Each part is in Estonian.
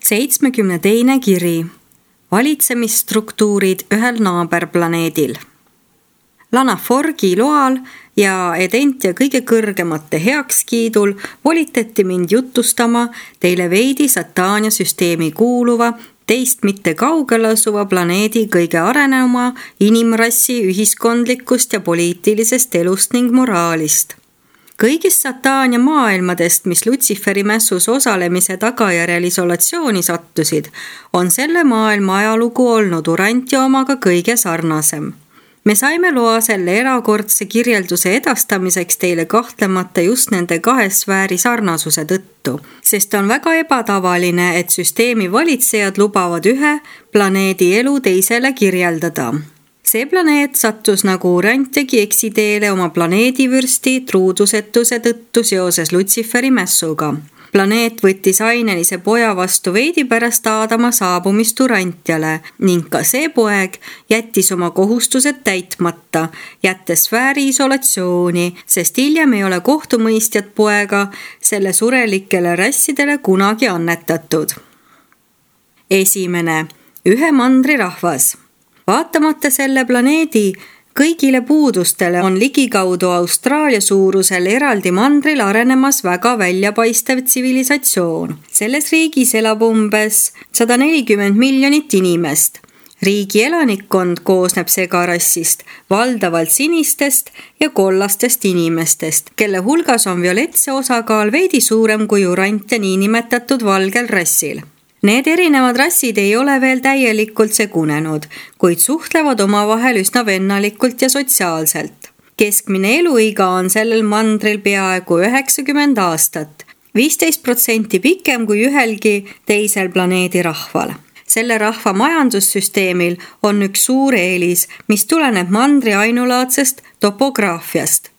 72. kiri. Valitsemisstruktuurid ühel naaberplaneedil. Lanaforgi loal ja Edentia kõige kõrgemate heakskiidul volitati mind jutustama teile veidi Satania süsteemi kuuluva, teist mitte kaugel asuva planeedi kõige arenenuma inimrassi ühiskondlikust ja poliitilisest elust ning moraalist. Kõigist Satania maailmadest, mis Lutsiferi mässus osalemise tagajärjel isolatsiooni sattusid, on selle maailma ajalugu olnud Urantia omaga kõige sarnasem. Me saime loa selle erakordse kirjelduse edastamiseks teile kahtlemata just nende kahe sfääri sarnasuse tõttu, sest on väga ebatavaline, et süsteemi valitsejad lubavad ühe planeedi elu teisele kirjeldada. See planeet sattus nagu Urantiagi eksiteele oma planeedivürsti truudusetuse tõttu seoses Lutsiferi mässuga. Planeet võttis ainelise poja vastu veidi pärast Aadama saabumist Urantiale ning ka see poeg jättis oma kohustused täitmata, jättes sfääri isolatsiooni, sest hiljem ei ole kohtumõistjat poega selle surelikele rassidele kunagi annetatud. 1. Ühe mandri rahvas. Vaatamata selle planeedi kõigile puudustele on ligikaudu Austraalia suurusel eraldi mandril arenemas väga väljapaistev tsivilisatsioon. Selles riigis elab umbes 140 miljonit inimest. Riigi elanikkond koosneb segarassist, valdavalt sinistest ja kollastest inimestest, kelle hulgas on violetse osakaal veidi suurem kui Urantia niinimetatud valgel rassil. Need erinevad rassid ei ole veel täielikult segunenud, kuid suhtlevad omavahel üsna vennalikult ja sotsiaalselt. Keskmine eluiga on sellel mandril peaaegu 90 aastat, 15% pikem kui ühelgi teisel planeedi rahval. Selle rahva majandussüsteemil on üks suur eelis, mis tuleneb mandri ainulaadsest topograafiast.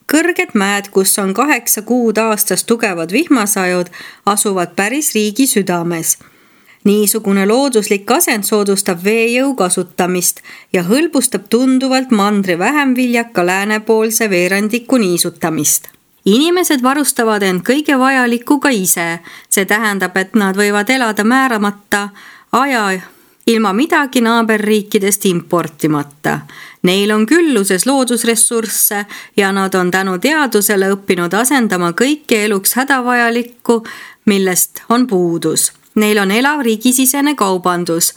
Kõrged mäed, kus on 8 kuud aastas tugevad vihmasajud, asuvad päris riigi südames. Niisugune looduslik asend soodustab veejõu kasutamist ja hõlbustab tunduvalt mandri vähem viljaka läänepoolse veerandiku niisutamist. Inimesed varustavad end kõige vajalikuga ise, see tähendab, et nad võivad elada määramata aja ilma midagi naaberriikidest importimata. Neil on külluses loodusressursse ja nad on tänu teadusele õppinud asendama kõike eluks hädavajalikku, millest on puudus. Neil on elav riigisisene kaubandus,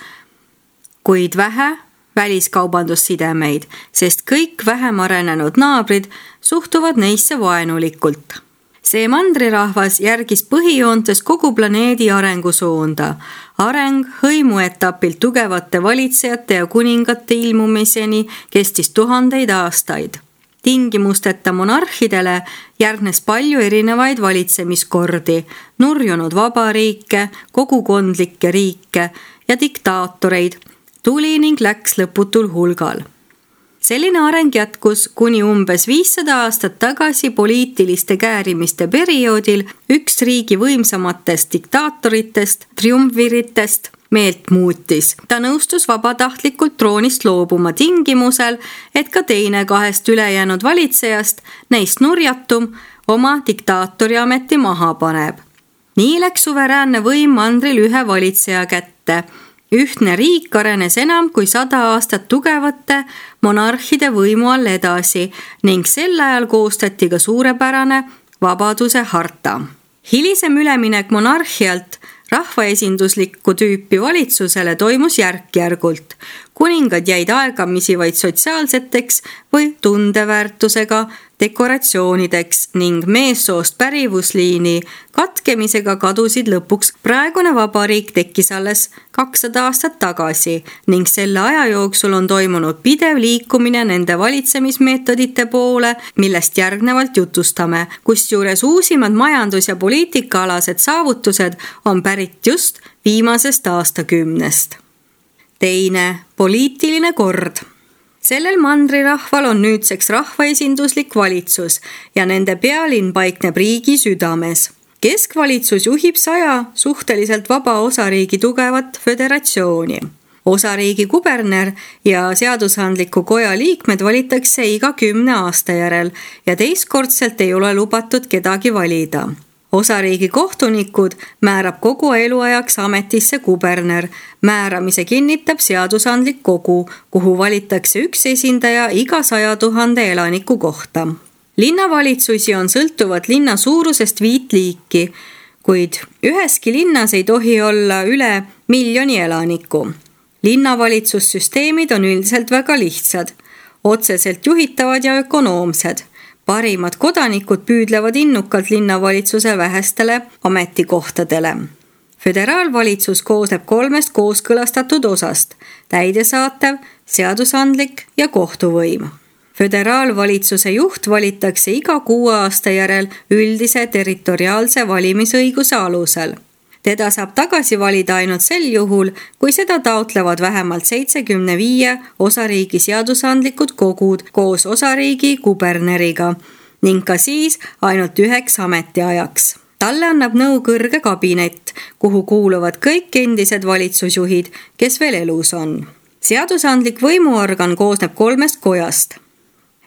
kuid vähe väliskaubandussidemeid, sest kõik vähem arenenud naabrid suhtuvad neisse vaenulikult. See mandrirahvas järgis põhijoontes kogu planeedi arengusuunda. Areng hõimuetapilt tugevate valitsejate ja kuningate ilmumiseni kestis 1000 aastaid. Tingimusteta monarhidele järgnes palju erinevaid valitsemiskordi, nurjunud vabariike, kogukondlikke riike ja diktaatoreid tuli ning läks lõputul hulgal. Selline areng jätkus kuni umbes 500 aastat tagasi poliitiliste käärimiste perioodil üks riigi võimsamatest diktaatoritest, triumviritest, meelt muutis. Ta nõustus vabatahtlikult troonist loobuma tingimusel, et ka teine 2 ülejäänud valitsejast, neist nurjatum, oma diktaatori ameti maha paneb. Nii läks suveräänne võim mandril ühe valitseja kätte. Ühtne riik arenes enam kui 100 aastat tugevate monarhide võimu all edasi ning sel ajal koostati ka suurepärane vabaduse harta. Hilisem üleminek monarhialt rahvaesinduslikku tüüpi valitsusele toimus järk-järgult. Kuningad jäid aegamisi vaid sotsiaalseteks või tundeväärtusega dekoratsioonideks ning meessoost pärivusliini katkemisega kadusid lõpuks. Praegune vabariik tekkis alles 200 aastat tagasi ning selle aja jooksul on toimunud pidev liikumine nende valitsemismeetodite poole, millest järgnevalt jutustame, kusjuures uusimad majandus- ja poliitikaalased saavutused on pärit just viimasest aastakümnest. 2. Poliitiline kord. Sellel mandrirahval on nüüdseks rahvaesinduslik valitsus ja nende pealinn paikneb riigi südames. Keskvalitsus juhib 100 suhteliselt vaba osariigi tugevat föderatsiooni. Osariigi kuberner ja seadusandliku koja liikmed valitakse iga 10 aasta järel ja teistkordselt ei ole lubatud kedagi valida. Osariigi kohtunikud määrab kogu eluajaks ametisse kuberner. Määramise kinnitab seadusandlik kogu, kuhu valitakse üks esindaja iga 100 000 elaniku kohta. Linnavalitsusi on sõltuvad linna suurusest 5 liiki, kuid üheski linnas ei tohi olla üle 1 miljoni elaniku. Linnavalitsussüsteemid on üldiselt väga lihtsad, otseselt juhitavad ja ökonoomsed. Parimad kodanikud püüdlevad innukalt linnavalitsuse vähestele ametikohtadele. Föderaalvalitsus koosneb 3 kooskõlastatud osast: täidesaatev, seadusandlik ja kohtuvõim. Föderaalvalitsuse juht valitakse iga 6 aasta järel üldise territoriaalse valimisõiguse alusel. Teda saab tagasi valida ainult sel juhul, kui seda taotlevad vähemalt 75 osariigi seadusandlikud kogud koos osariigi kuberneriga ning ka siis ainult 9 ametiajaks. Talle annab nõu kõrge kabinet, kuhu kuuluvad kõik endised valitsusjuhid, kes veel elus on. Seadusandlik võimuorgan koosneb 3 kojast.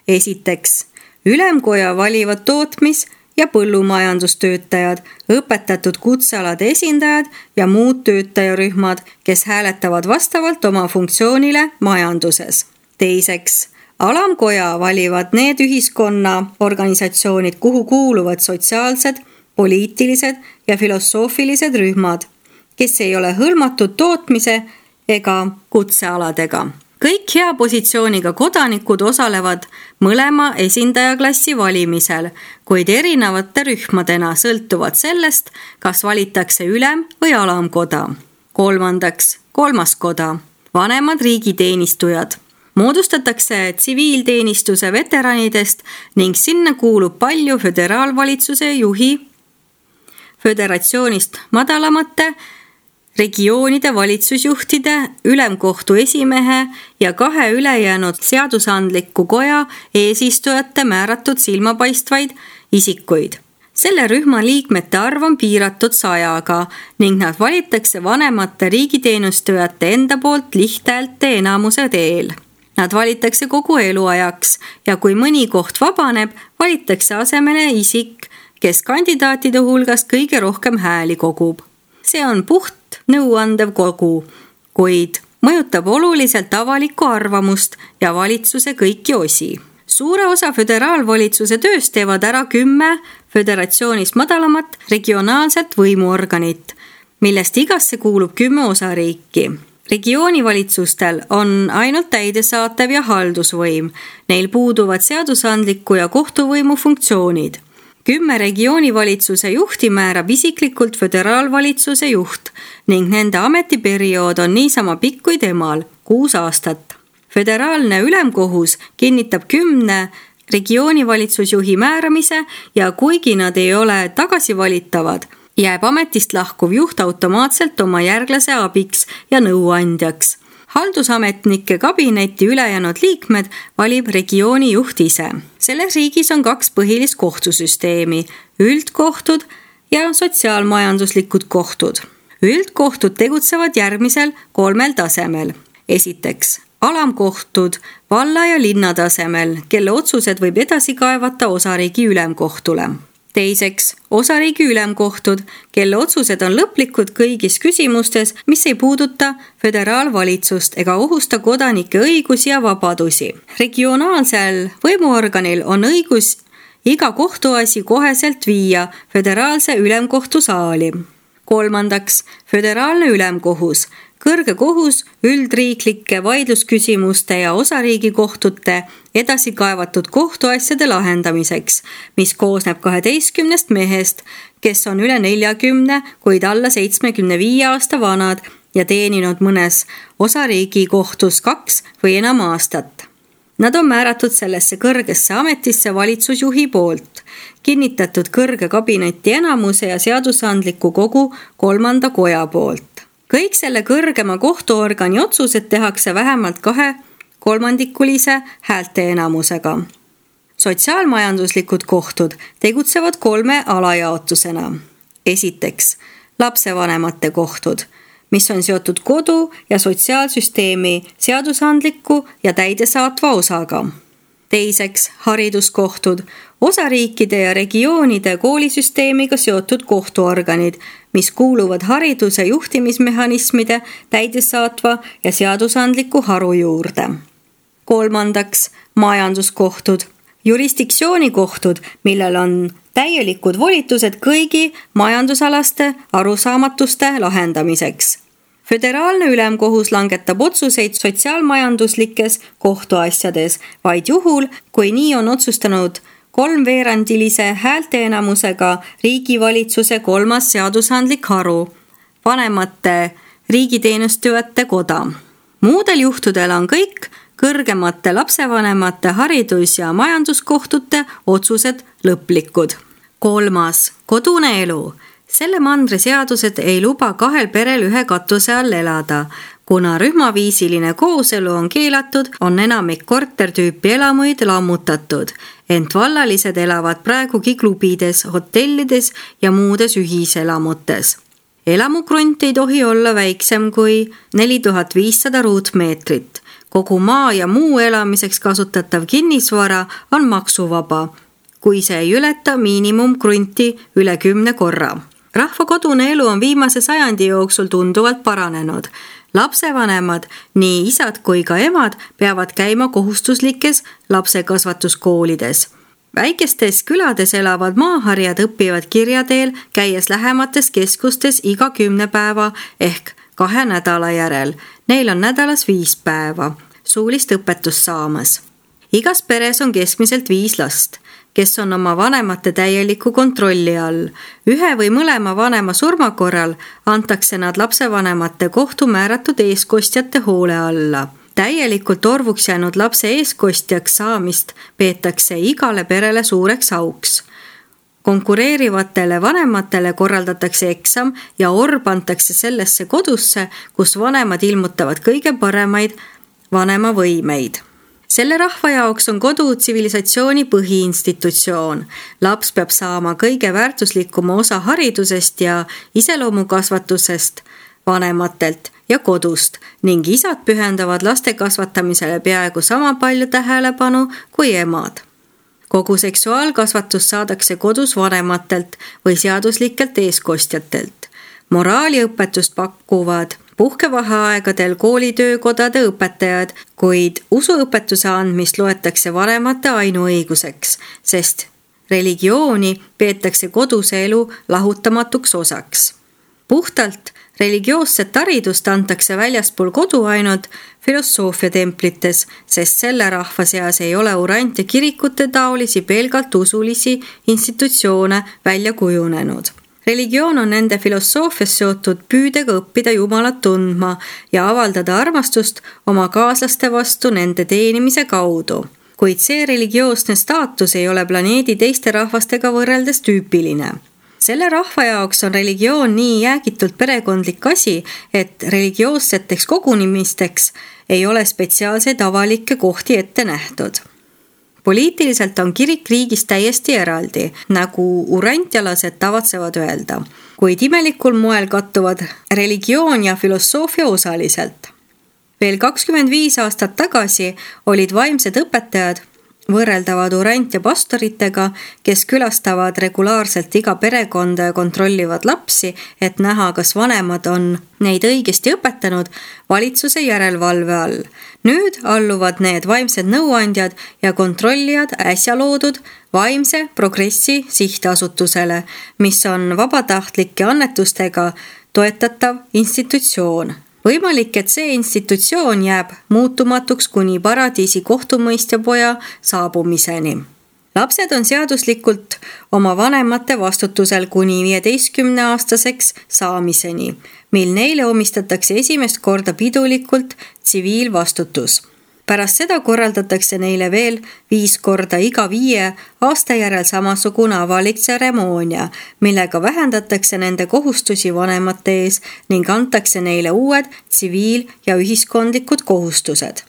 Esiteks, ülemkoja valivad tootmis- ja põllumajandustöötajad, õpetatud kutsealade esindajad ja muud töötajarühmad, kes hääletavad vastavalt oma funktsioonile majanduses. Teiseks, alamkoja valivad need ühiskonnaorganisatsioonid, kuhu kuuluvad sotsiaalsed, poliitilised ja filosoofilised rühmad, kes ei ole hõlmatud tootmise ega kutsealadega. Kõik hea positsiooniga kodanikud osalevad mõlema esindajaklassi valimisel, kuid erinevate rühmadena sõltuvad sellest, kas valitakse ülem- või alamkoda. Kolmandaks, 3. koda, vanemad riigiteenistujad. Moodustatakse tsiviilteenistuse veteranidest ning sinna kuulub palju föderaalvalitsuse juhi, föderatsioonist madalamate regioonide valitsusjuhtide, ülemkohtu esimehe ja 2 ülejäänud seadusandliku koja eesistujate määratud silmapaistvaid isikuid. Selle rühma liikmete arv on piiratud 100-ga ning nad valitakse vanemate riigiteenistujate enda poolt lihthäälte enamuse teel. Nad valitakse kogu eluajaks ja kui mõni koht vabaneb, valitakse asemele isik, kes kandidaatide hulgas kõige rohkem hääli kogub. See on puht nõuandev kogu, kuid mõjutab oluliselt avalikku arvamust ja valitsuse kõiki osi. Suure osa föderaalvalitsuse tööst teevad ära 10 föderatsioonist madalamat regionaalset võimuorganit, millest igasse kuulub 10 osariiki. Regioonivalitsustel on ainult täidesaatev ja haldusvõim, neil puuduvad seadusandliku ja kohtuvõimu funktsioonid. 10 regioonivalitsuse juhti määrab isiklikult föderaalvalitsuse juht ning nende ametiperiood on niisama pikk kui temal, 6 aastat. Föderaalne ülemkohus kinnitab 10 regioonivalitsusjuhi määramise ja kuigi nad ei ole tagasivalitavad, jääb ametist lahkuv juht automaatselt oma järglase abiks ja nõuandjaks. Haldusametnike kabineti ülejäänud liikmed valib regiooni juht ise. Selles riigis on 2 põhilist kohtusüsteemi, üldkohtud ja sotsiaalmajanduslikud kohtud. Üldkohtud tegutsevad järgmisel 3 tasemel. Esiteks, alamkohtud valla ja linna tasemel, kelle otsused võib edasi kaevata osariigi ülemkohtule. Teiseks, osariigi ülemkohtud, kelle otsused on lõplikud kõigis küsimustes, mis ei puuduta föderaalvalitsust ega ohusta kodanike õigusi ja vabadusi. Regionaalsel võimuorganil on õigus iga kohtuasi koheselt viia föderaalse ülemkohtu saali. Kolmandaks, föderaalne ülemkohus, kõrge kohus üldriiklike vaidlusküsimuste ja osariigi kohtute edasi kaevatud kohtuasjade lahendamiseks, mis koosneb 12 mehest, kes on üle 40, kuid alla 75 aasta vanad ja teeninud mõnes osariigi kohtus 2 või enam aastat. Nad on määratud sellesse kõrgesse ametisse valitsusjuhi poolt, kinnitatud kõrge kabineti enamuse ja seadusandliku kogu 3. koja poolt. Kõik selle kõrgema kohtuorgani otsused tehakse vähemalt 2/3 häälteenamusega. Sotsiaalmajanduslikud kohtud tegutsevad 3 alajaotusena. Esiteks, lapsevanemate kohtud, mis on seotud kodu- ja sotsiaalsüsteemi seadusandliku ja täidesaatva osaga. Teiseks, hariduskohtud, osariikide ja regioonide koolisüsteemiga seotud kohtuorganid, mis kuuluvad hariduse juhtimismehhanismide täidesaatva ja seadusandliku haru juurde. 3. majanduskohtud, jurisdiktsioonikohtud, millel on täielikud volitused kõigi majandusalaste arusaamatuste lahendamiseks. Föderaalne ülemkohus langetab otsuseid sotsiaalmajanduslikes kohtuasjades vaid juhul, kui nii on otsustanud 3/4 häälteenamusega riigivalitsuse 3. seadusandlik haru, vanemate riigiteenistujate koda. Muudel juhtudel on kõik kõrgemate lapsevanemate haridus- ja majanduskohtute otsused lõplikud. 3. kodune elu. Selle mandri seadused ei luba 2 perel ühe katuse all elada. Kuna rühmaviisiline kooselu on keelatud, on enamik kortertüüpi elamuid lammutatud, ent vallalised elavad praegugi klubides, hotellides ja muudes ühiselamutes. Elamukrunt ei tohi olla väiksem kui 4500 ruutmeetrit. Kogu maa ja muu elamiseks kasutatav kinnisvara on maksuvaba, kui see ei ületa miinimumkrunti üle 10 korra. Rahva kodune elu on viimase sajandi jooksul tunduvalt paranenud. Lapsevanemad, nii isad kui ka emad, peavad käima kohustuslikes lapsekasvatuskoolides. Väikestes külades elavad maaharjad õpivad kirja teel, käies lähemates keskustes iga 10 päeva ehk 2 nädala järel. Neil on nädalas 5 päeva suulist õpetust saamas. Igas peres on keskmiselt 5 last, kes on oma vanemate täieliku kontrolli all. Ühe või mõlema vanema surma korral antakse nad lapsevanemate kohtu määratud eeskostjate hoole alla. Täielikult orvuks jäänud lapse eeskostjaks saamist peetakse igale perele suureks auks. Konkureerivatele vanematele korraldatakse eksam ja orb antakse sellesse kodusse, kus vanemad ilmutavad kõige paremaid vanemavõimeid. Selle rahva jaoks on kodu tsivilisatsiooni põhiinstitutsioon. Laps peab saama kõige väärtuslikuma osa haridusest ja iseloomukasvatusest vanematelt ja kodust ning isad pühendavad laste kasvatamisele peaaegu sama palju tähelepanu kui emad. Kogu seksuaalkasvatus saadakse kodus vanematelt või seaduslikelt eeskostjatelt. Moraaliõpetust pakuvad puhkevaheaegadel koolitöökodade õpetajad, kuid usuõpetuse andmist loetakse vanemate ainuõiguseks, sest religiooni peetakse koduse elu lahutamatuks osaks. Puhtalt religioosset haridust antakse väljaspool kodu ainult filosoofiatemplites, sest selle rahva seas ei ole urant- ja kirikute taolisi pelgalt usulisi institutsioone välja kujunenud. Religioon on nende filosoofias seotud püüdega õppida Jumalat tundma ja avaldada armastust oma kaaslaste vastu nende teenimise kaudu. Kuid see religioosne staatus ei ole planeedi teiste rahvastega võrreldes tüüpiline. Selle rahva jaoks on religioon nii jäägitult perekondlik asi, et religioosseteks kogunimisteks ei ole spetsiaalseid avalikke kohti ette nähtud. Poliitiliselt on kirik riigist täiesti eraldi, nagu urantjalased tavatsevad öelda, kuid imelikul moel kattuvad religioon ja filosoofia osaliselt. Veel 25 aastat tagasi olid vaimsed õpetajad võrreldavad urant- ja pastoritega, kes külastavad regulaarselt iga perekonda ja kontrollivad lapsi, et näha, kas vanemad on neid õigesti õpetanud valitsuse järelevalve all. Nüüd alluvad need vaimsed nõuandjad ja kontrollijad äsja loodud vaimse progressi sihtasutusele, mis on vabatahtlike annetustega toetatav institutsioon. Võimalik, et see institutsioon jääb muutumatuks kuni paradiisi kohtumõistja poja saabumiseni. Lapsed on seaduslikult oma vanemate vastutusel kuni 15-aastaseks saamiseni, mil neile omistatakse esimest korda pidulikult tsiviilvastutus. Pärast seda korraldatakse neile veel 5 korda iga 5 aasta järel samasugune avalik tseremoonia, millega vähendatakse nende kohustusi vanemate ees ning antakse neile uued tsiviil- ja ühiskondlikud kohustused.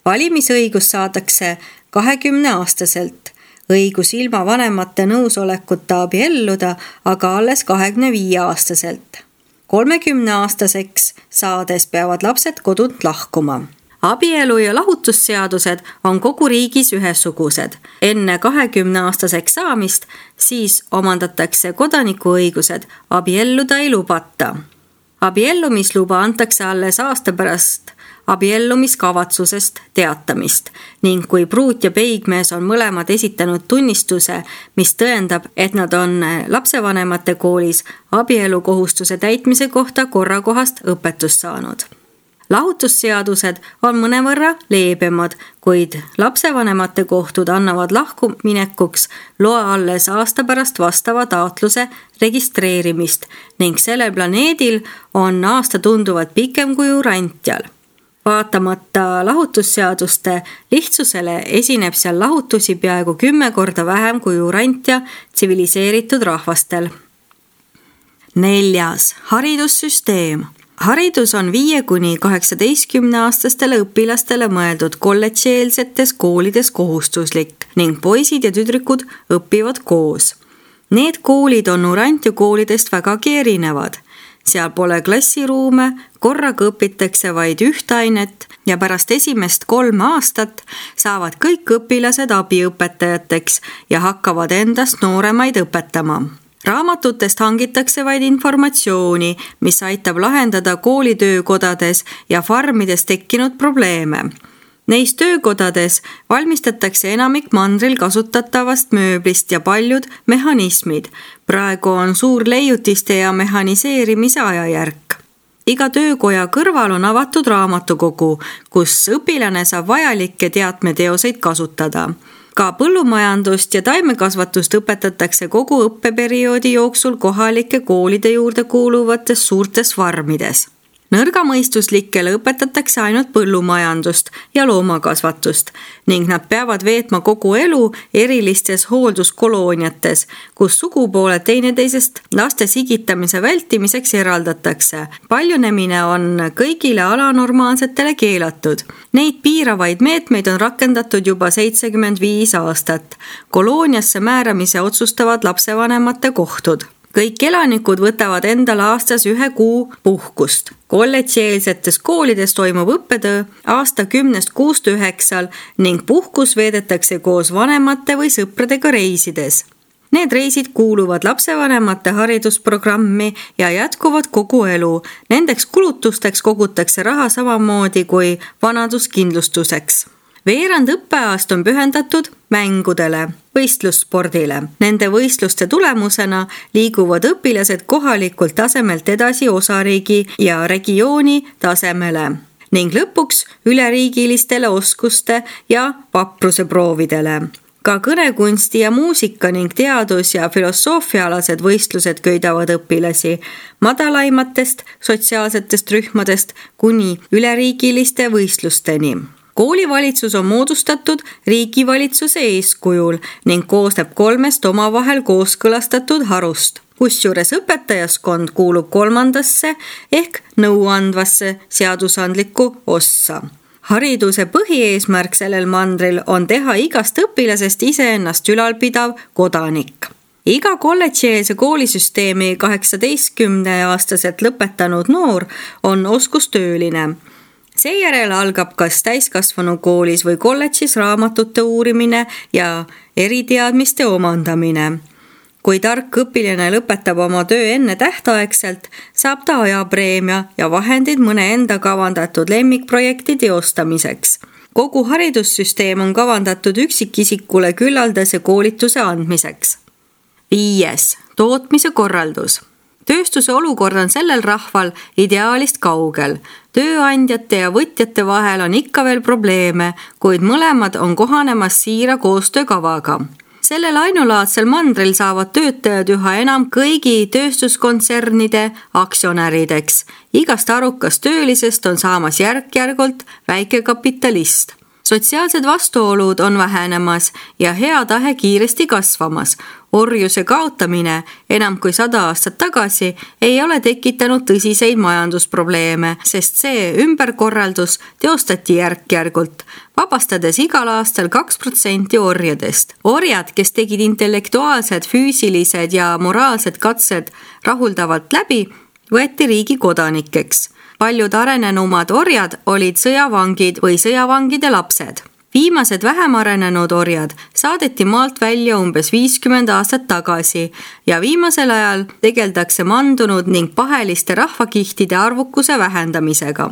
Valimisõigus saadakse 20-aastaselt, õigus ilma vanemate nõusolekuta abielluda aga alles 25-aastaselt. 30-aastaseks saades peavad lapsed kodunt lahkuma. Abielu- ja lahutusseadused on kogu riigis ühesugused. Enne 20-aastaseks saamist siis omandatakse kodanikuõigused, abielluda ei lubata. Abiellumisluba antakse alles aasta pärast abiellumiskavatsusest teatamist ning kui pruut ja peigmees on mõlemad esitanud tunnistuse, mis tõendab, et nad on lapsevanemate koolis abielukohustuse täitmise kohta korrakohast õpetust saanud. Lahutusseadused on mõnevõrra leebemad, kuid lapsevanemate kohtud annavad lahkuminekuks loa alles aasta pärast vastava taotluse registreerimist ning sellel planeedil on aasta tunduvalt pikem kui Urantjal. Vaatamata lahutusseaduste lihtsusele esineb seal lahutusi peaaegu 10 korda vähem kui Urantja tsiviliseeritud rahvastel. 4. Haridussüsteem. Haridus on 5–18-aastastele õpilastele mõeldud kolledžieelsetes koolides kohustuslik ning poisid ja tüdrukud õpivad koos. Need koolid on Urantja koolidest vägagi erinevad. Seal pole klassiruume, korraga õpitakse vaid üht ainet ja pärast esimest 3 aastat saavad kõik õpilased abiõpetajateks ja hakkavad endast nooremaid õpetama. Raamatutest hangitakse vaid informatsiooni, mis aitab lahendada koolitöökodades ja farmides tekkinud probleeme. Neis töökodades valmistatakse enamik mandril kasutatavast mööblist ja paljud mehhanismid. Praegu on suur leiutiste ja mehhaniseerimise ajajärk. Iga töökoja kõrval on avatud raamatukogu, kus õpilane saab vajalikke teadmeteoseid kasutada. Ka põllumajandust ja taimekasvatust õpetatakse kogu õppeperioodi jooksul kohalike koolide juurde kuuluvates suurtes farmides. Nõrgamõistuslikele õpetatakse ainult põllumajandust ja loomakasvatust ning nad peavad veetma kogu elu erilistes hoolduskolooniates, kus sugupooled teineteisest laste sigitamise vältimiseks eraldatakse. Paljunemine on kõigile alanormaalsetele keelatud. Neid piiravaid meetmeid on rakendatud juba 75 aastat. Kolooniasse määramise otsustavad lapsevanemate kohtud. Kõik elanikud võtavad endale aastas 1 kuu puhkust. Kolledžieelsetes koolides toimub õppetöö aasta 10–9 ning puhkus veedetakse koos vanemate või sõpradega reisides. Need reisid kuuluvad lapsevanemate haridusprogrammi ja jätkuvad kogu elu. Nendeks kulutusteks kogutakse raha samamoodi kui vanaduskindlustuseks. Veerand õppeaast on pühendatud mängudele, võistlusspordile. Nende võistluste tulemusena liiguvad õpilased kohalikult tasemelt edasi osariigi ja regiooni tasemele ning lõpuks üleriigilistele oskuste ja vapruse proovidele. Ka kõnekunsti ja muusika ning teadus- ja filosoofiaalased võistlused köidavad õpilasi madalaimatest sotsiaalsetest rühmadest kuni üleriigiliste võistlusteni. Koolivalitsus on moodustatud riigivalitsuse eeskujul ning koosneb 3 omavahel kooskõlastatud harust. Kusjuures õpetajaskond kuulub 3. ehk nõuandvasse seadusandlikku ossa. Hariduse põhieesmärk sellel mandril on teha igast õpilasest iseennast ülalpidav kodanik. Iga kolledžieelse koolisüsteemi 18-aastaselt lõpetanud noor on oskustööline. Seejärel algab kas täiskasvanu koolis või kolledžis raamatute uurimine ja eriteadmiste omandamine. Kui tark õpilane lõpetab oma töö enne tähtaegselt, saab ta ajapreemia ja vahendid mõne enda kavandatud lemmikprojekti teostamiseks. Kogu haridussüsteem on kavandatud üksikisikule küllaldase koolituse andmiseks. 5. Tootmise korraldus. Tööstuse olukord on sellel rahval ideaalist kaugel. Tööandjate ja võtjate vahel on ikka veel probleeme, kuid mõlemad on kohanemas siira koostöökavaga. Sellel ainulaadsel mandril saavad töötajad üha enam kõigi tööstuskontsernide aktsionärideks. Igast arukast töölisest on saamas järk-järgult väikekapitalist. Sotsiaalsed vastuolud on vähenemas ja hea tahe kiiresti kasvamas. Orjuse kaotamine enam kui 100 aastat tagasi ei ole tekitanud tõsiseid majandusprobleeme, sest see ümberkorraldus teostati järk-järgult, vabastades igal aastal 2% orjadest. Orjad, kes tegid intellektuaalsed, füüsilised ja moraalsed katsed rahuldavalt läbi, võeti riigi kodanikeks. Paljud arenenumad orjad olid sõjavangid või sõjavangide lapsed. Viimased vähem arenenud orjad saadeti maalt välja umbes 50 aastat tagasi ja viimasel ajal tegeldakse mandunud ning paheliste rahvakihtide arvukuse vähendamisega.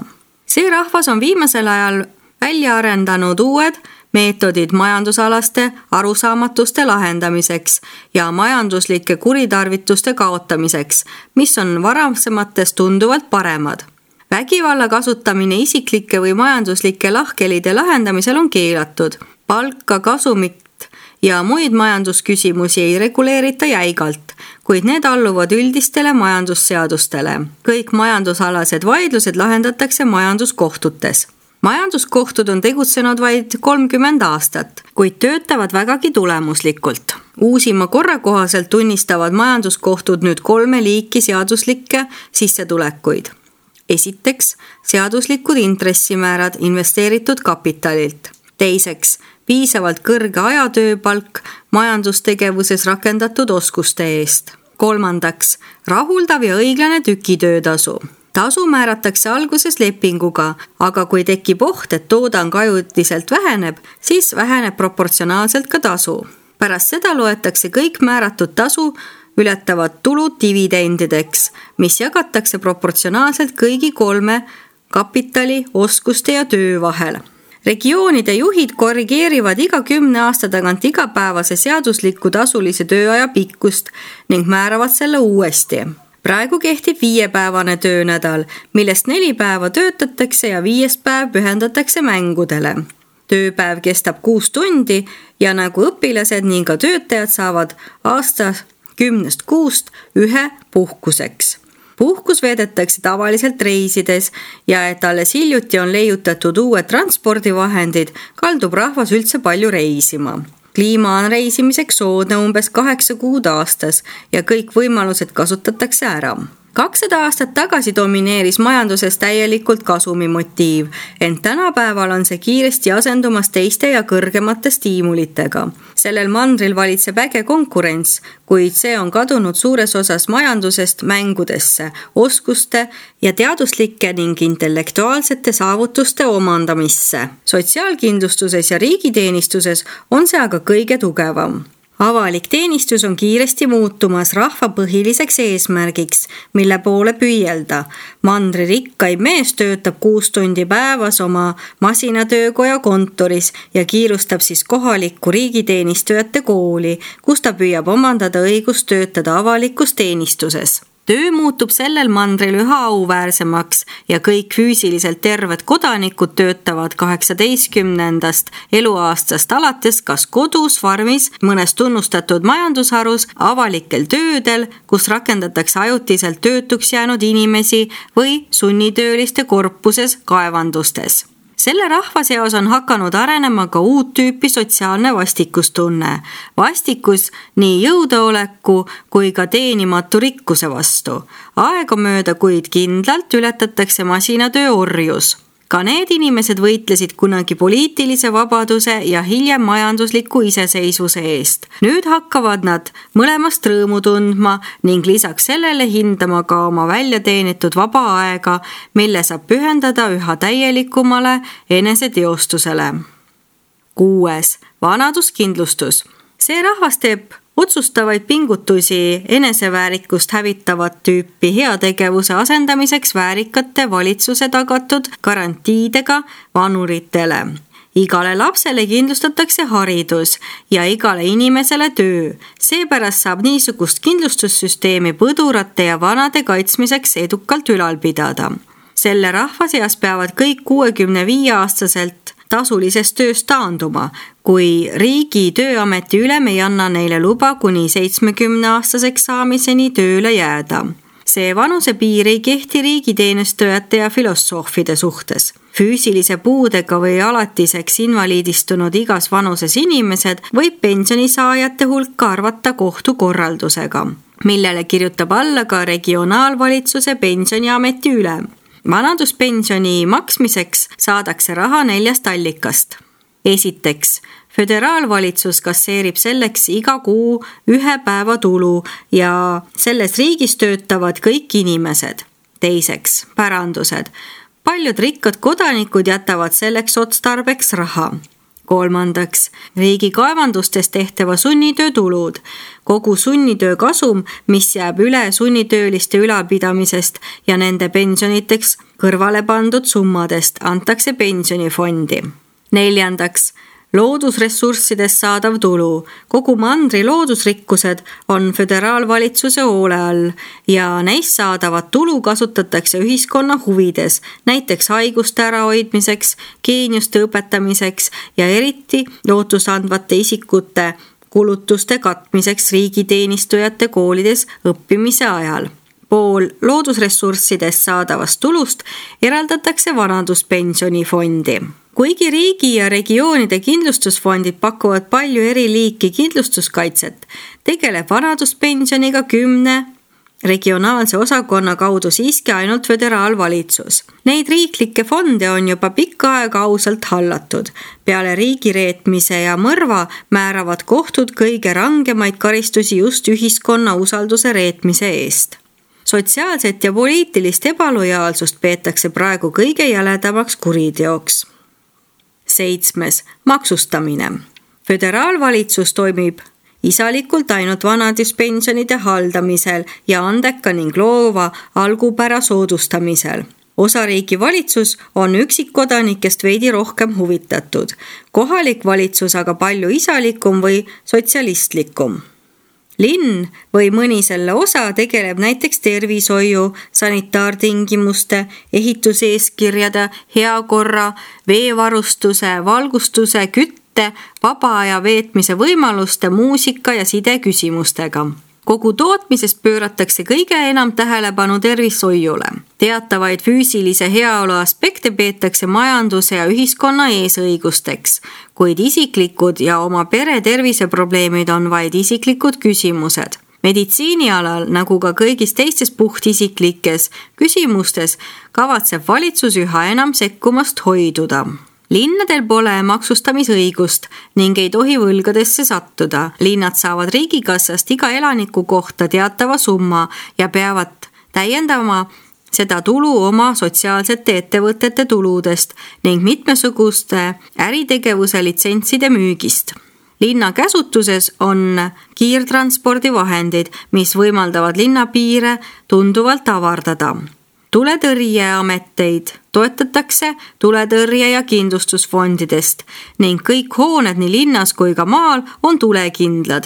See rahvas on viimasel ajal välja arendanud uued meetodid majandusalaste arusaamatuste lahendamiseks ja majanduslike kuritarvituste kaotamiseks, mis on varasematest tunduvalt paremad. Vägivalla kasutamine isiklike või majanduslike lahkhelide lahendamisel on keelatud. Palka, kasumit ja muid majandusküsimusi ei reguleerita jäigalt, kuid need alluvad üldistele majandusseadustele. Kõik majandusalased vaidlused lahendatakse majanduskohtutes. Majanduskohtud on tegutsenud vaid 30 aastat, kuid töötavad vägagi tulemuslikult. Uusima korra kohaselt tunnistavad majanduskohtud nüüd 3 liiki seaduslikke sissetulekuid. Esiteks, seaduslikud intressimäärad investeeritud kapitalilt. Teiseks, piisavalt kõrge ajatööpalk majandustegevuses rakendatud oskuste eest. Kolmandaks, rahuldav ja õiglane tükitöötasu. Tasu määratakse alguses lepinguga, aga kui tekib oht, et toodang ajutiselt väheneb, siis väheneb proportsionaalselt ka tasu. Pärast seda loetakse kõik määratud tasu ületavad tulud dividendideks, mis jagatakse proportsionaalselt kõigi 3 kapitali, oskuste ja töö vahel. Regioonide juhid korrigeerivad iga 10 aasta tagant igapäevase seadusliku tasulise tööaja pikkust ning määravad selle uuesti. Praegu kehtib 5-päevane töönädal, millest 4 päeva töötatakse ja 5. päev pühendatakse mängudele. Tööpäev kestab 6 tundi ja nagu õpilased ning ka töötajad saavad aastas 10 kuust 1 puhkuseks. Puhkus veedetakse tavaliselt reisides ja et alles hiljuti on leiutatud uued transpordivahendid, kaldub rahvas üldse palju reisima. Kliima on reisimiseks soodne umbes 8 kuud aastas ja kõik võimalused kasutatakse ära. 200 aastat tagasi domineeris majanduses täielikult kasumi motiiv, ent tänapäeval on see kiiresti asendumas teiste ja kõrgemate stiimulitega. Sellel mandril valitseb äge konkurents, kuid see on kadunud suures osas majandusest mängudesse, oskuste ja teaduslike ning intellektuaalsete saavutuste omandamisse. Sotsiaalkindlustuses ja riigiteenistuses on see aga kõige tugevam. Avalik teenistus on kiiresti muutumas rahva põhiliseks eesmärgiks, mille poole püüelda. Mandri rikkaim mees töötab 6 tundi päevas oma masinatöökoja kontoris ja kiirustab siis kohalikku riigiteenistujate kooli, kus ta püüab omandada õigust töötada avalikus teenistuses. Töö muutub sellel mandril üha auväärsemaks ja kõik füüsiliselt terved kodanikud töötavad 18. eluaastast alates kas kodus, farmis, mõnes tunnustatud majandusharus, avalikel töödel, kus rakendatakse ajutiselt töötuks jäänud inimesi või sunnitööliste korpuses kaevandustes. Selle rahva seas on hakanud arenema ka uut tüüpi sotsiaalne vastikustunne. Vastikus nii jõudeoleku kui ka teenimatu rikkuse vastu. Aegamööda, kuid kindlalt ületatakse masinatöö orjus. Ka need inimesed võitlesid kunagi poliitilise vabaduse ja hiljem majandusliku iseseisvuse eest. Nüüd hakkavad nad mõlemast rõõmu tundma ning lisaks sellele hindama ka oma väljateenitud vaba aega, mille saab pühendada üha täielikumale eneseteostusele. 6. Vanaduskindlustus. See rahvas teeb otsustavaid pingutusi eneseväärikust hävitavat tüüpi heategevuse asendamiseks väärikate valitsuse tagatud garantiidega vanuritele. Igale lapsele kindlustatakse haridus ja igale inimesele töö. Seepärast saab niisugust kindlustussüsteemi põdurate ja vanade kaitsmiseks edukalt ülal pidada. Selle rahva seas peavad kõik 65-aastaselt tasulisest tööst taanduma, kui riigi tööameti ülem ei anna neile luba kuni 70-aastaseks saamiseni tööle jääda. See vanusepiir ei kehti riigiteenistujate ja filosoofide suhtes. Füüsilise puudega või alatiseks invaliidistunud igas vanuses inimesed võib pensionisaajate hulka arvata kohtukorraldusega, millele kirjutab alla ka regionaalvalitsuse pensioniameti ülem. Vanaduspensioni maksmiseks saadakse raha 4 allikast. Esiteks, föderaalvalitsus kasseerib selleks iga kuu 1 päeva tulu ja selles riigis töötavad kõik inimesed. Teiseks, pärandused. Paljud rikkad kodanikud jätavad selleks otstarbeks raha. Kolmandaks, riigi kaevandustes tehtava sunnitöö tulud. Kogu sunnitöö kasum, mis jääb üle sunnitööliste ülalpidamisest ja nende pensioniteks kõrvale pandud summadest, antakse pensionifondi. Neljandaks, loodusressurssidest saadav tulu. Kogu mandri loodusrikkused on föderaalvalitsuse hoole all ja neist saadavat tulu kasutatakse ühiskonna huvides, näiteks haiguste ärahoidmiseks, geeniuste õpetamiseks ja eriti lootusandvate isikute kulutuste katmiseks riigiteenistujate koolides õppimise ajal. Pool loodusressurssidest saadavast tulust eraldatakse vanaduspensionifondi. Kuigi riigi ja regioonide kindlustusfondid pakuvad palju eri liiki kindlustuskaitset, tegeleb vanaduspensioniga 10 regionaalse osakonna kaudu siiski ainult föderaalvalitsus. Neid riiklikke fonde on juba pikka aega ausalt hallatud. Peale riigireetmise ja mõrva määravad kohtud kõige rangemaid karistusi just ühiskonna usalduse reetmise eest. Sotsiaalset ja poliitilist ebalojaalsust peetakse praegu kõige jäledamaks kuriteoks. 7. Maksustamine. Föderaalvalitsus toimib isalikult ainult vanaduspensionide haldamisel ja andeka ning loova algupära soodustamisel. Osariigi valitsus on üksikkodanikest veidi rohkem huvitatud, kohalik valitsus aga palju isalikum või sotsialistlikum. Linn või mõni selle osa tegeleb näiteks tervishoiu, sanitaartingimuste, ehituseeskirjade, heakorra, veevarustuse, valgustuse, kütte, vaba aja veetmise võimaluste, muusika ja side küsimustega. Kogu tootmisest pööratakse kõige enam tähelepanu tervishoiule. Teatavaid füüsilise heaolu aspekte peetakse majanduse ja ühiskonna eesõigusteks, kuid isiklikud ja oma pere terviseprobleemid on vaid isiklikud küsimused. Meditsiinialal, nagu ka kõigis teistes puhtisiklikes küsimustes, kavatseb valitsus üha enam sekkumast hoiduda. Linnadel pole maksustamisõigust ning ei tohi võlgadesse sattuda. Linnad saavad riigikassast iga elaniku kohta teatava summa ja peavad täiendama seda tulu oma sotsiaalsete ettevõtete tuludest ning mitmesuguste äritegevuse litsentside müügist. Linna käsutuses on kiirtranspordivahendid, mis võimaldavad linnapiire tunduvalt avardada. Tuletõrjeameteid toetatakse tuletõrje- ja kindlustusfondidest ning kõik hooned nii linnas kui ka maal on tulekindlad.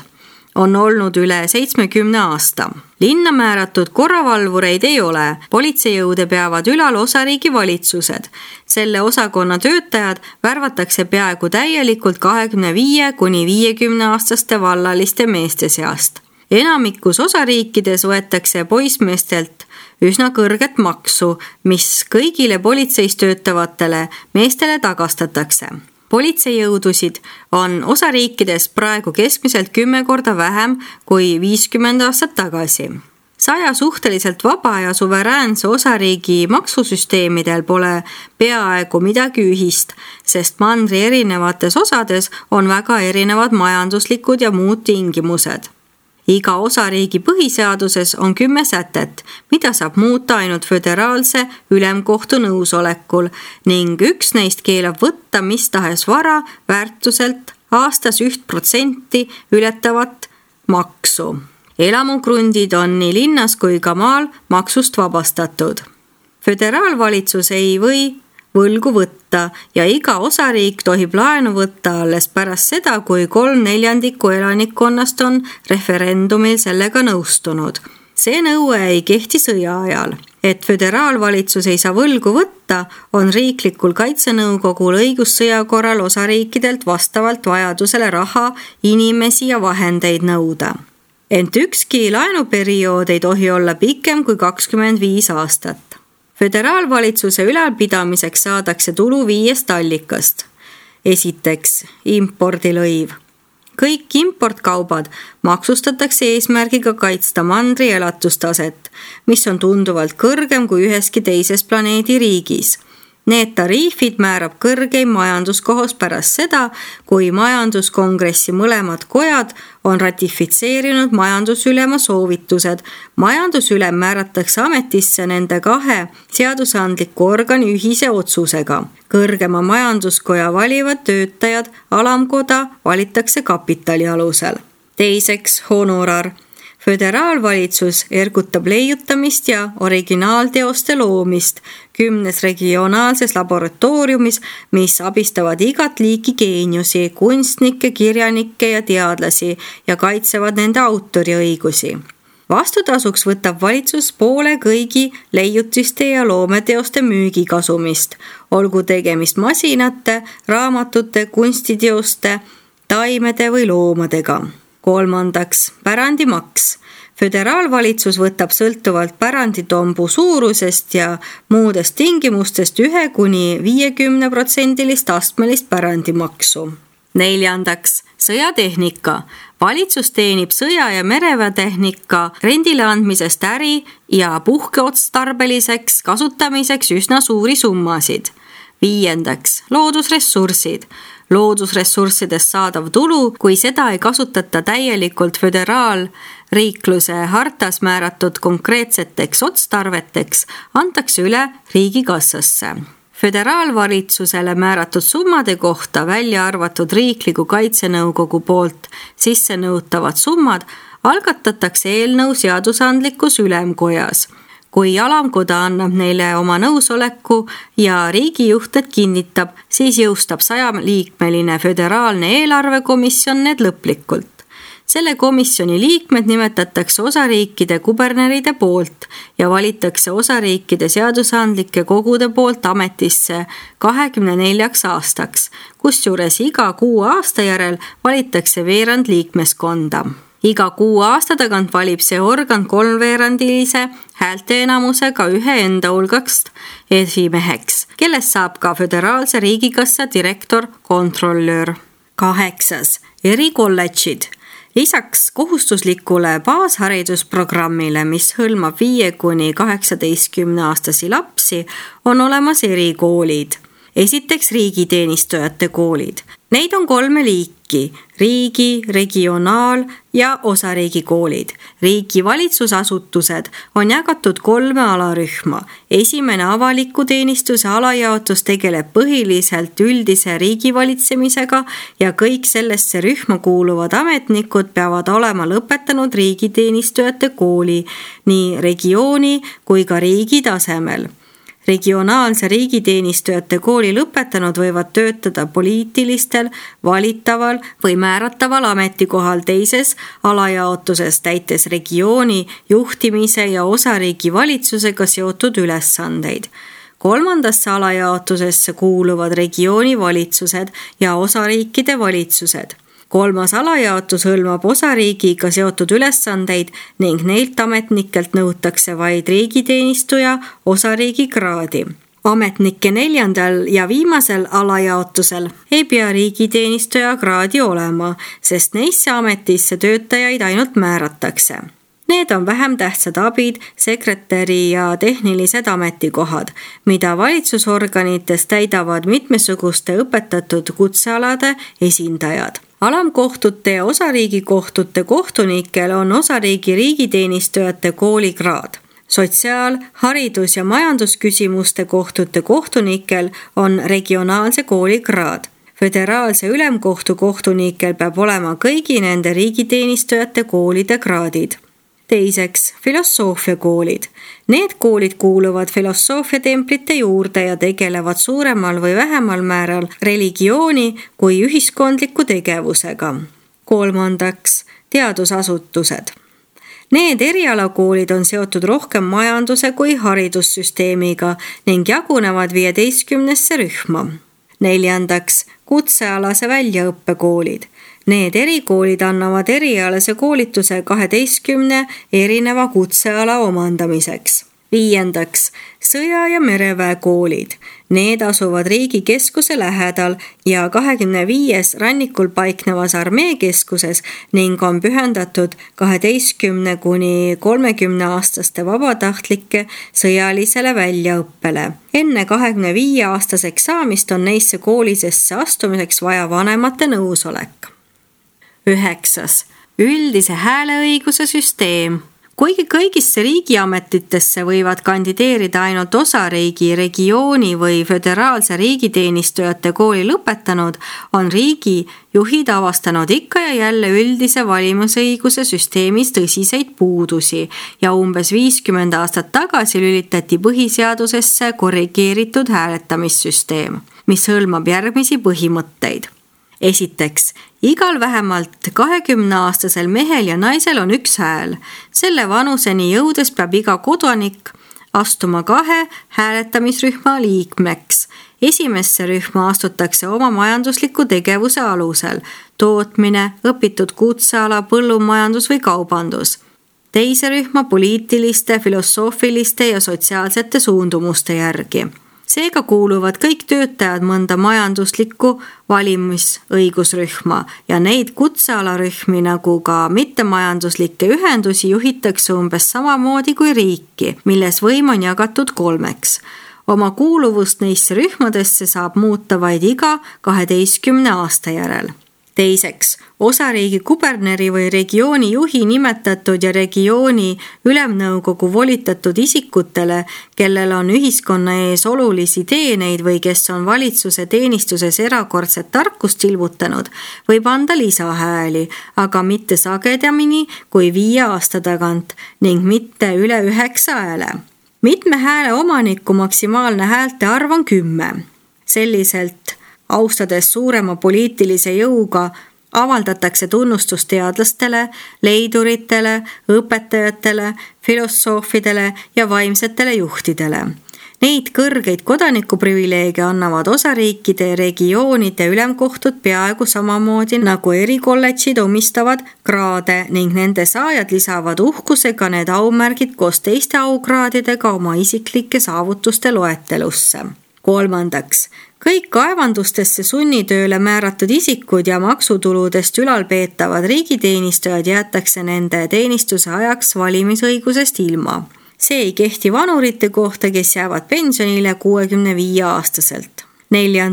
On olnud üle 70 aasta. Linna määratud korravalvureid ei ole. Politseijõude peavad ülal osariigi valitsused. Selle osakonna töötajad värvatakse peaaegu täielikult 25–50 aastaste vallaliste meeste seast. Enamikus osariikides võetakse poissmeestelt üsna kõrget maksu, mis kõigile politseis töötavatele meestele tagastatakse. Politseijõudusid on osariikides praegu keskmiselt 10 korda vähem kui 50 aastat tagasi. 100 suhteliselt vaba ja suveräänse osariigi maksusüsteemidel pole peaaegu midagi ühist, sest mandri erinevates osades on väga erinevad majanduslikud ja muud tingimused. Iga osariigi põhiseaduses on 10 sätet, mida saab muuta ainult föderaalse ülemkohtu nõusolekul ning üks neist keelab võtta mis tahes vara väärtuselt aastas 1% ületavat maksu. Elamukrundid on nii linnas kui ka maal maksust vabastatud. Föderaalvalitsus ei või võlgu võtta ja iga osariik tohib laenu võtta alles pärast seda, kui 3/4 elanikkonnast on referendumil sellega nõustunud. See nõue ei kehti sõja ajal. Et föderaalvalitsus ei saa võlgu võtta, on riiklikul kaitsenõukogul õigus sõja korral osariikidelt vastavalt vajadusele raha, inimesi ja vahendeid nõuda. Ent ükski laenuperiood ei tohi olla pikem kui 25 aastat. Föderaalvalitsuse ülalpidamiseks saadakse tulu 5 allikast. Esiteks, impordilõiv. Kõik importkaubad maksustatakse eesmärgiga kaitsta mandri elatustaset, mis on tunduvalt kõrgem kui üheski teises planeedi riigis. Need tariifid määrab kõrgeim majanduskohus pärast seda, kui majanduskongressi mõlemad kojad on ratifitseerinud majandusülema soovitused. Majandusülem määratakse ametisse nende 2 seadusandliku organi ühise otsusega. Kõrgema majanduskoja valivad töötajad, alamkoda valitakse kapitali alusel. Teiseks, honorar. Föderaalvalitsus ergutab leiutamist ja originaalteoste loomist 10 regionaalses laboratooriumis, mis abistavad igat liiki geeniusi, kunstnikke, kirjanikke ja teadlasi ja kaitsevad nende autoriõigusi. Vastutasuks võtab valitsus poole kõigi leiutiste ja loometeoste müügikasumist, olgu tegemist masinate, raamatute, kunstiteoste, taimede või loomadega. Kolmandaks, pärandimaks. Föderaalvalitsus võtab sõltuvalt päranditombu suurusest ja muudest tingimustest 1–50% astmelist pärandimaksu. Neljandaks, sõjatehnika. Valitsus teenib sõja- ja mereväetehnika rendile andmisest äri ja puhkeotstarbeliseks kasutamiseks üsna suuri summasid. Viiendaks, loodusressursid. Loodusressurssidest saadav tulu, kui seda ei kasutata täielikult föderaalriikluse hartas määratud konkreetseteks otstarveteks, antakse üle riigikassasse. Föderaalvalitsusele määratud summade kohta, välja arvatud riikliku kaitsenõukogu poolt sisse nõutavad summad, algatatakse eelnõu seadusandlikus ülemkojas. Kui alamkoda annab neile oma nõusoleku ja riigijuhted kinnitab, siis jõustab 100-liikmeline föderaalne eelarvekomisjon need lõplikult. Selle komisjoni liikmed nimetatakse osariikide kuberneride poolt ja valitakse osariikide seadusandlike kogude poolt ametisse 24 aastaks, kusjuures iga 6 aasta järel valitakse veerand liikmeskonda. Iga 6 aasta tagant valib see organ 3/4 häälteenamusega ühe enda hulgast esimeheks, kellest saab ka föderaalse riigikassa direktor kontrollöör. 8. Erikolledžid. Lisaks kohustuslikule baasharidusprogrammile, mis hõlmab 5–18-aastasi lapsi, on olemas erikoolid. Esiteks riigiteenistujate koolid. Neid on 3 liiki: riigi, regionaal- ja osariigikoolid. Riigi valitsusasutused on jagatud 3 alarühma. Esimene avaliku teenistuse alajaotus tegeleb põhiliselt üldise riigivalitsemisega ja kõik sellesse rühma kuuluvad ametnikud peavad olema lõpetanud riigiteenistujate kooli nii regiooni kui ka riigi tasemel. Regionaalse riigiteenistujate kooli lõpetanud võivad töötada poliitilistel, valitaval või määrataval ametikohal teises alajaotuses, täites regiooni juhtimise ja osariigi valitsusega seotud ülesandeid. Kolmandasse alajaotusesse kuuluvad regiooni valitsused ja osariikide valitsused. 3. alajaotus hõlmab osariigiga seotud ülesandeid ning neilt ametnikelt nõutakse vaid riigiteenistuja osariigi kraadi. Ametnike 4. ja viimasel alajaotusel ei pea riigiteenistuja kraadi olema, sest neisse ametisse töötajaid ainult määratakse. Need on vähem tähtsad abid, sekretäri ja tehnilised ametikohad, mida valitsusorganites täidavad mitmesuguste õpetatud kutsealade esindajad. Alamkohtute ja osariigikohtute kohtunikel on osariigi riigiteenistujate koolikraad. Sotsiaal-, haridus- ja majandusküsimuste kohtute kohtunikel on regionaalse koolikraad. Föderaalse ülemkohtu kohtunikel peab olema kõigi nende riigiteenistujate koolide kraadid. Teiseks, filosoofiakoolid. Need koolid kuuluvad filosoofiatemplite juurde ja tegelevad suuremal või vähemal määral religiooni kui ühiskondliku tegevusega. Kolmandaks, teadusasutused. Need erialakoolid on seotud rohkem majanduse kui haridussüsteemiga ning jagunevad 15 rühma. Neljandaks, kutsealase väljaõppekoolid. Need erikoolid annavad erialase koolituse 12 erineva kutseala omandamiseks. Viiendaks, sõja- ja mereväekoolid. Need asuvad riigi keskuse lähedal ja 25 rannikul paiknevas armeekeskuses ning on pühendatud 12–30-aastaste vabatahtlike sõjalisele väljaõppele. Enne 25-aastaseks saamist on neisse koolisesse astumiseks vaja vanemate nõusolek. 9. Üldise hääleõiguse süsteem. Kuigi kõigisse riigiametitesse võivad kandideerida ainult osariigi, regiooni või föderaalse riigiteenistujate kooli lõpetanud, on riigi juhid avastanud ikka ja jälle üldise valimisõiguse süsteemis tõsiseid puudusi ja umbes 50 aastat tagasi lülitati põhiseadusesse korrigeeritud hääletamissüsteem, mis hõlmab järgmisi põhimõtteid. Esiteks, igal vähemalt 20-aastasel mehel ja naisel on üks hääl. Selle vanuseni jõudes peab iga kodanik astuma 2 hääletamisrühma liikmeks. Esimesse rühma astutakse oma majandusliku tegevuse alusel, tootmine, õpitud kutseala, põllumajandus või kaubandus. Teise rühma poliitiliste, filosoofiliste ja sotsiaalsete suundumuste järgi. Seega kuuluvad kõik töötajad mõnda majanduslikku valimisõigusrühma ja neid kutsealarühmi nagu ka mittemajanduslikke ühendusi juhitakse umbes samamoodi kui riiki, milles võim on jagatud 3. Oma kuuluvust neisse rühmadesse saab muuta vaid iga 12 aasta järel. Teiseks, osariigi kuberneri või regiooni juhi nimetatud ja regiooni ülemnõukogu volitatud isikutele, kellel on ühiskonna ees olulisi teeneid või kes on valitsuse teenistuses erakordset tarkust ilmutanud, võib anda lisahääli, aga mitte sagedamini kui 5 aasta tagant ning mitte üle 9 hääle. Mitme hääle omaniku maksimaalne häälte arv on 10. Selliselt austades suurema poliitilise jõuga avaldatakse tunnustust teadlastele, leiduritele, õpetajatele, filosoofidele ja vaimsetele juhtidele. Neid kõrgeid kodanikuprivileege annavad osariikide ja regioonide ülemkohtud peaaegu samamoodi nagu erikolledžid omistavad kraade ning nende saajad lisavad uhkusega need aumärgid koos teiste aukraadidega oma isiklike saavutuste loetelusse. 3. Kõik kaevandustesse sunnitööle määratud isikud ja maksutuludest ülalpeetavad riigiteenistujad jäetakse nende teenistuse ajaks valimisõigusest ilma. See ei kehti vanurite kohta, kes jäävad pensionile 65-aastaselt. 4.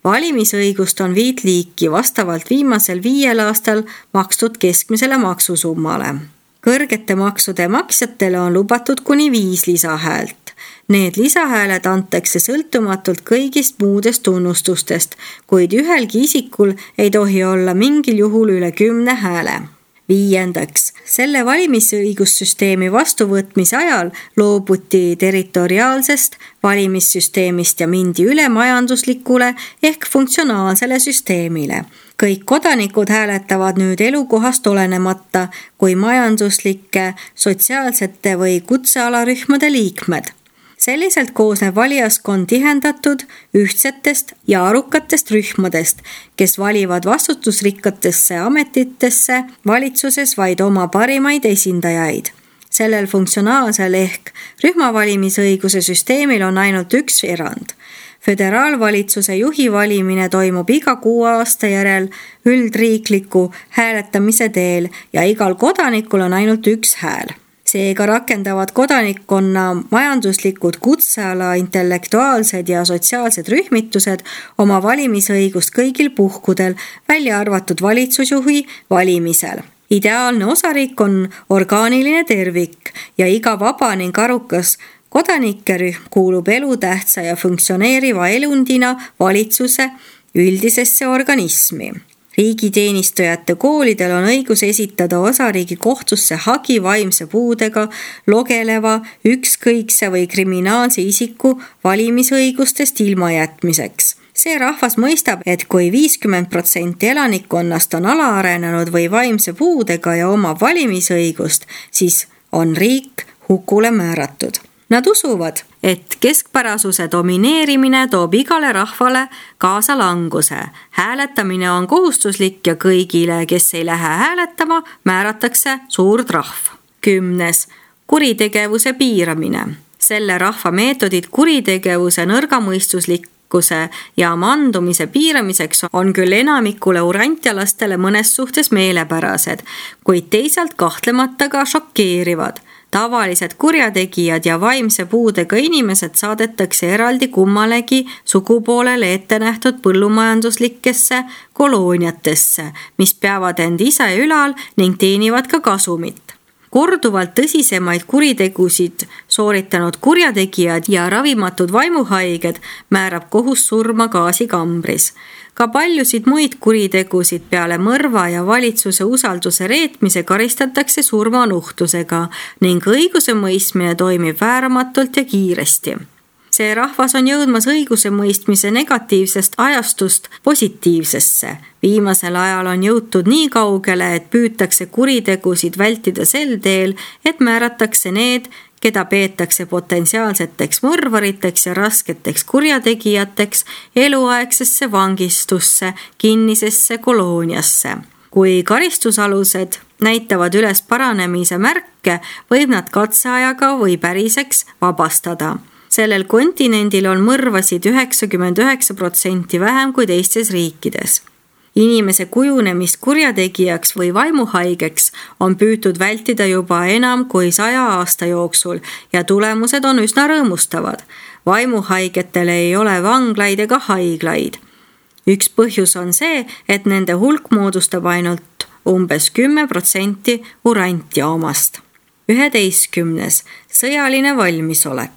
Valimisõigust on 5 liiki vastavalt viimasel 5 aastal makstud keskmisele maksusummale. Kõrgete maksude maksjatele on lubatud kuni 5 lisahäält. Need lisahääled antakse sõltumatult kõigist muudest tunnustustest, kuid ühelgi isikul ei tohi olla mingil juhul üle 10 hääle. 5. Selle valimisõigussüsteemi vastuvõtmise ajal loobuti territoriaalsest valimissüsteemist ja mindi üle majanduslikule ehk funktsionaalsele süsteemile. Kõik kodanikud hääletavad nüüd elukohast olenemata kui majanduslike, sotsiaalsete või kutsealarühmade liikmed. Selliselt koosneb valijaskond tihendatud, ühtsetest ja arukatest rühmadest, kes valivad vastutusrikkatesse ametitesse valitsuses vaid oma parimaid esindajaid. Sellel funktsionaalsel ehk rühmavalimisõiguse süsteemil on ainult üks erand. Föderaalvalitsuse juhi valimine toimub iga 6 aasta järel üldriikliku hääletamise teel ja igal kodanikul on ainult üks hääl. Seega rakendavad kodanikkonna majanduslikud kutseala, intellektuaalsed ja sotsiaalsed rühmitused oma valimisõigust kõigil puhkudel, välja arvatud valitsusjuhi valimisel. Ideaalne osariik on orgaaniline tervik ja iga vaba ning arukas kodanikerühm kuulub elutähtsa ja funktsioneeriva elundina valitsuse üldisesse organismi. Riigiteenistujate koolidel on õigus esitada osariigi kohtusse hagi vaimse puudega, logeleva, ükskõikse või kriminaalse isiku valimisõigustest ilmajätmiseks. See rahvas mõistab, et kui 50% elanikkonnast on alaarenenud või vaimse puudega ja omab valimisõigust, siis on riik hukule määratud. Nad usuvad, et keskpärasuse domineerimine toob igale rahvale kaasa languse. Hääletamine on kohustuslik ja kõigile, kes ei lähe hääletama, määratakse suur trahv. 10. Kuritegevuse piiramine. Selle rahva meetodid kuritegevuse nõrgamõistuslikkuse ja mandumise piiramiseks on küll enamikule urantialastele mõnes suhtes meelepärased, kuid teisalt kahtlemata ka šokeerivad. Tavalised kurjategijad ja vaimse puudega inimesed saadetakse eraldi kummalegi sugupoolele ette nähtud põllumajanduslikesse kolooniatesse, mis peavad end ise ülal ning teenivad ka kasumit. Korduvalt tõsisemaid kuritegusid sooritanud kurjategijad ja ravimatud vaimuhaiged määrab kohus surma gaasikambris. Ka paljusid muid kuritegusid peale mõrva ja valitsuse usalduse reetmise karistatakse surmanuhtlusega ning õigusemõistmine toimib vääramatult ja kiiresti. See rahvas on jõudmas õigusemõistmise negatiivsest ajastust positiivsesse. Viimasel ajal on jõutud nii kaugele, et püütakse kuritegusid vältida sel teel, et määratakse need, keda peetakse potentsiaalseteks mõrvariteks ja rasketeks kurjategijateks eluaegsesse vangistusse, kinnisesse kolooniasse. Kui karistusalused näitavad üles paranemise märke, võib nad katseajaga või päriseks vabastada. Sellel kontinendil on mõrvasid 99% vähem kui teistes riikides. Inimese kujunemist kurjategijaks või vaimuhaigeks on püütud vältida juba enam kui 100 aasta jooksul ja tulemused on üsna rõõmustavad. Vaimuhaigetel ei ole vanglaid ega haiglaid. Üks põhjus on see, et nende hulk moodustab ainult umbes 10% urantia omast. 11. Sõjaline valmisolek.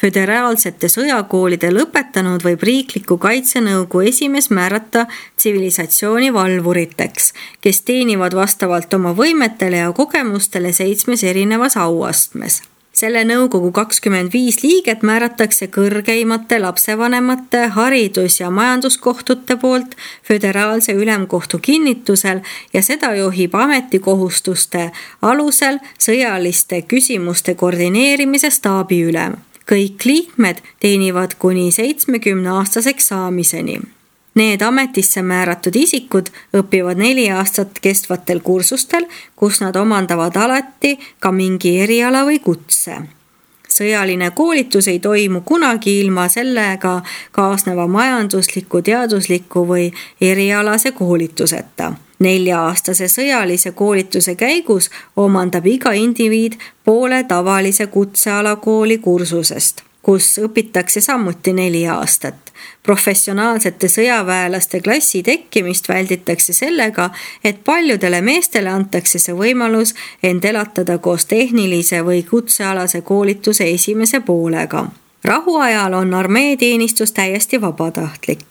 Föderaalsete sõjakoolide lõpetanud võib riikliku kaitsenõukogu esimees määrata tsivilisatsiooni valvuriteks, kes teenivad vastavalt oma võimetele ja kogemustele 7 erinevas auastmes. Selle nõukogu 25 liiget määratakse kõrgeimate lapsevanemate, haridus- ja majanduskohtute poolt föderaalse ülemkohtu kinnitusel ja seda juhib ametikohustuste alusel sõjaliste küsimuste koordineerimise staabiülem. Kõik liikmed teenivad kuni 70-aastaseks saamiseni. Need ametisse määratud isikud õpivad 4 aastat kestvatel kursustel, kus nad omandavad alati ka mingi eriala või kutse. Sõjaline koolitus ei toimu kunagi ilma sellega kaasneva majandusliku, teadusliku või erialase koolituseta. 4-aastase sõjalise koolituse käigus omandab iga indiviid poole tavalise kutsealakooli kursusest, kus õpitakse samuti 4 aastat. Professionaalsete sõjaväelaste klassi tekkimist välditakse sellega, et paljudele meestele antakse see võimalus end elatada koos tehnilise või kutsealase koolituse esimese poolega. Rahuajal on armeeteenistus täiesti vabatahtlik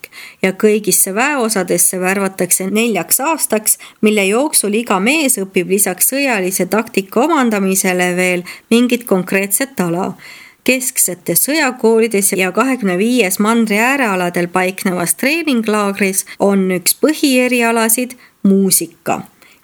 ja kõigisse väeosadesse värvatakse 4 aastaks, mille jooksul iga mees õpib lisaks sõjalise taktika omandamisele veel mingit konkreetset ala. Kesksetes sõjakoolides ja 25 mandri äärealadel paiknevas treeninglaagris on üks põhierialasid muusika.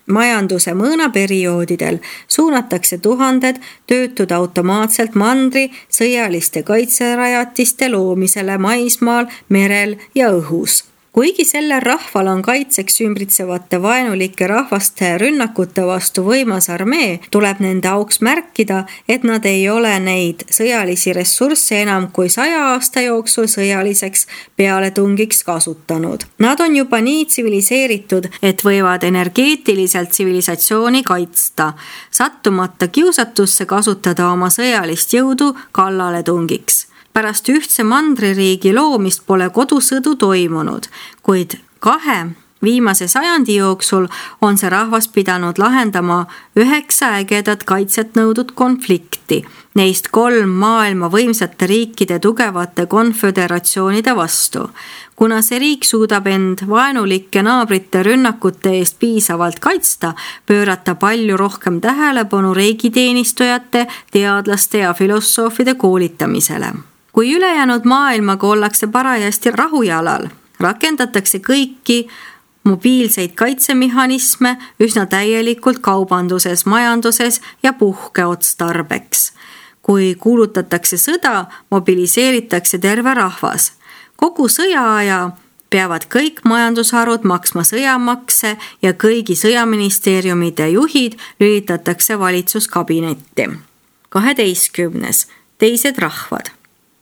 Majanduse mõõnaperioodidel suunatakse tuhanded töötud automaatselt mandri sõjaliste kaitserajatiste loomisele maismaal, merel ja õhus. Kuigi sellel rahval on kaitseks ümbritsevate vaenulike rahvaste rünnakute vastu võimas armee, tuleb nende auks märkida, et nad ei ole neid sõjalisi ressursse enam kui 100 aasta jooksul sõjaliseks pealetungiks kasutanud. Nad on juba nii tsiviliseeritud, et võivad energeetiliselt tsivilisatsiooni kaitsta, sattumata kiusatusse kasutada oma sõjalist jõudu kallaletungiks. Pärast ühtse mandririigi loomist pole kodusõdu toimunud, kuid 2 viimase sajandi jooksul on see rahvas pidanud lahendama 9 ägedat kaitset nõudnud konflikti, neist 3 maailma võimsate riikide tugevate konföderatsioonide vastu. Kuna see riik suudab end vaenulike naabrite rünnakute eest piisavalt kaitsta, pöörata palju rohkem tähelepanu riigiteenistujate, teadlaste ja filosoofide koolitamisele. Kui ülejäänud maailmaga ollakse parajasti rahujalal, rakendatakse kõiki mobiilseid kaitsemehhanisme üsna täielikult kaubanduses, majanduses ja puhkeotstarbeks. Kui kuulutatakse sõda, mobiliseeritakse terve rahvas. Kogu sõjaaja peavad kõik majandusharud maksma sõjamakse ja kõigi sõjaministeeriumide juhid lülitatakse valitsuskabinetti. 12. teised rahvad.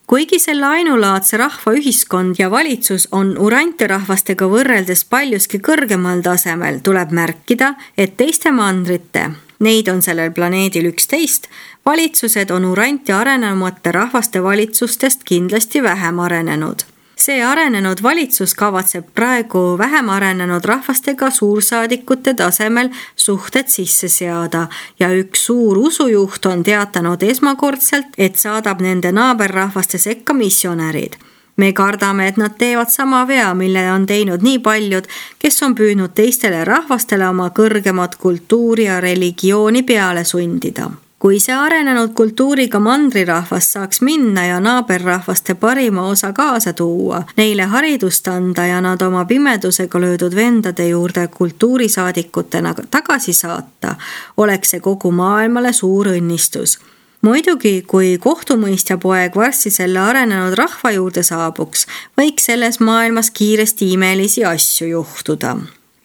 Kuigi selle ainulaadse rahvaühiskond ja valitsus on Urantia rahvastega võrreldes paljuski kõrgemal tasemel, tuleb märkida, et teiste mandrite, neid on sellel planeedil 11, valitsused on Urantia arenenumate rahvaste valitsustest kindlasti vähem arenenud. See arenenud valitsus kavatseb praegu vähem arenenud rahvastega suursaadikute tasemel suhted sisse seada ja üks suur usujuht on teatanud esmakordselt, et saadab nende naaberrahvaste sekka missionärid. Me kardame, et nad teevad sama vea, mille on teinud nii paljud, kes on püüdnud teistele rahvastele oma kõrgemat kultuuri ja religiooni peale sundida. Kui see arenenud kultuuriga mandrirahvas saaks minna ja naaberrahvaste parima osa kaasa tuua, neile haridust anda ja nad oma pimedusega löödud vendade juurde kultuurisaadikutena tagasi saata, oleks see kogu maailmale suur õnnistus. Muidugi, kui kohtumõistja poeg varsti selle arenenud rahva juurde saabuks, võiks selles maailmas kiiresti imelisi asju juhtuda.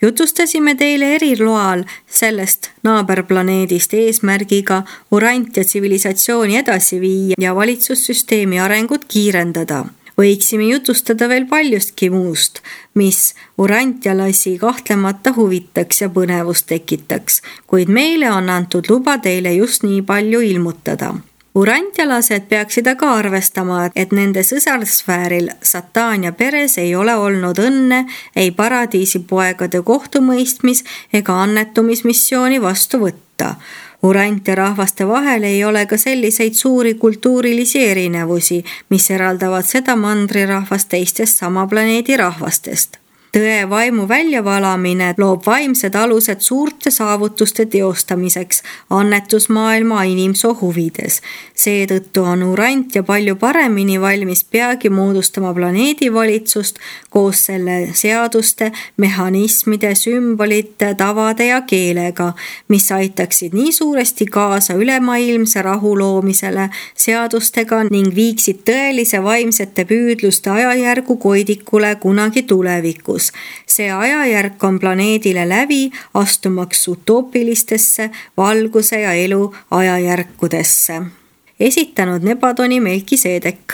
Jutustasime teile eriloal sellest naaberplaneedist eesmärgiga Urantia tsivilisatsiooni edasi viia ja valitsussüsteemi arengut kiirendada. Võiksime jutustada veel paljustki muust, mis urantialasi kahtlemata huvitaks ja põnevust tekitaks, kuid meile on antud luba teile just nii palju ilmutada. Urantialased peaksid aga arvestama, et nende sõsarsfääril Satania peres ei ole olnud õnne ei paradiisi poegade kohtumõistmis ega annetumismissiooni vastu võtta. Urantia rahvaste vahel ei ole ka selliseid suuri kultuurilisi erinevusi, mis eraldavad seda mandrirahvast teistest sama planeedi rahvastest. Tõe vaimu väljavalamine loob vaimsed alused suurte saavutuste teostamiseks annetusmaailma inimsoo huvides. Seetõttu on Urantia palju paremini valmis peagi moodustama planeedivalitsust koos selle seaduste, mehhanismide, sümbolite, tavade ja keelega, mis aitaksid nii suuresti kaasa ülemaailmse rahu loomisele seadustega ning viiksid tõelise vaimsete püüdluste ajajärgu koidikule kunagi tulevikus. See ajajärk on planeedile läbi astumaks utoopilistesse valguse ja elu ajajärkudesse. Esitanud Nebadoni Melkiseedek.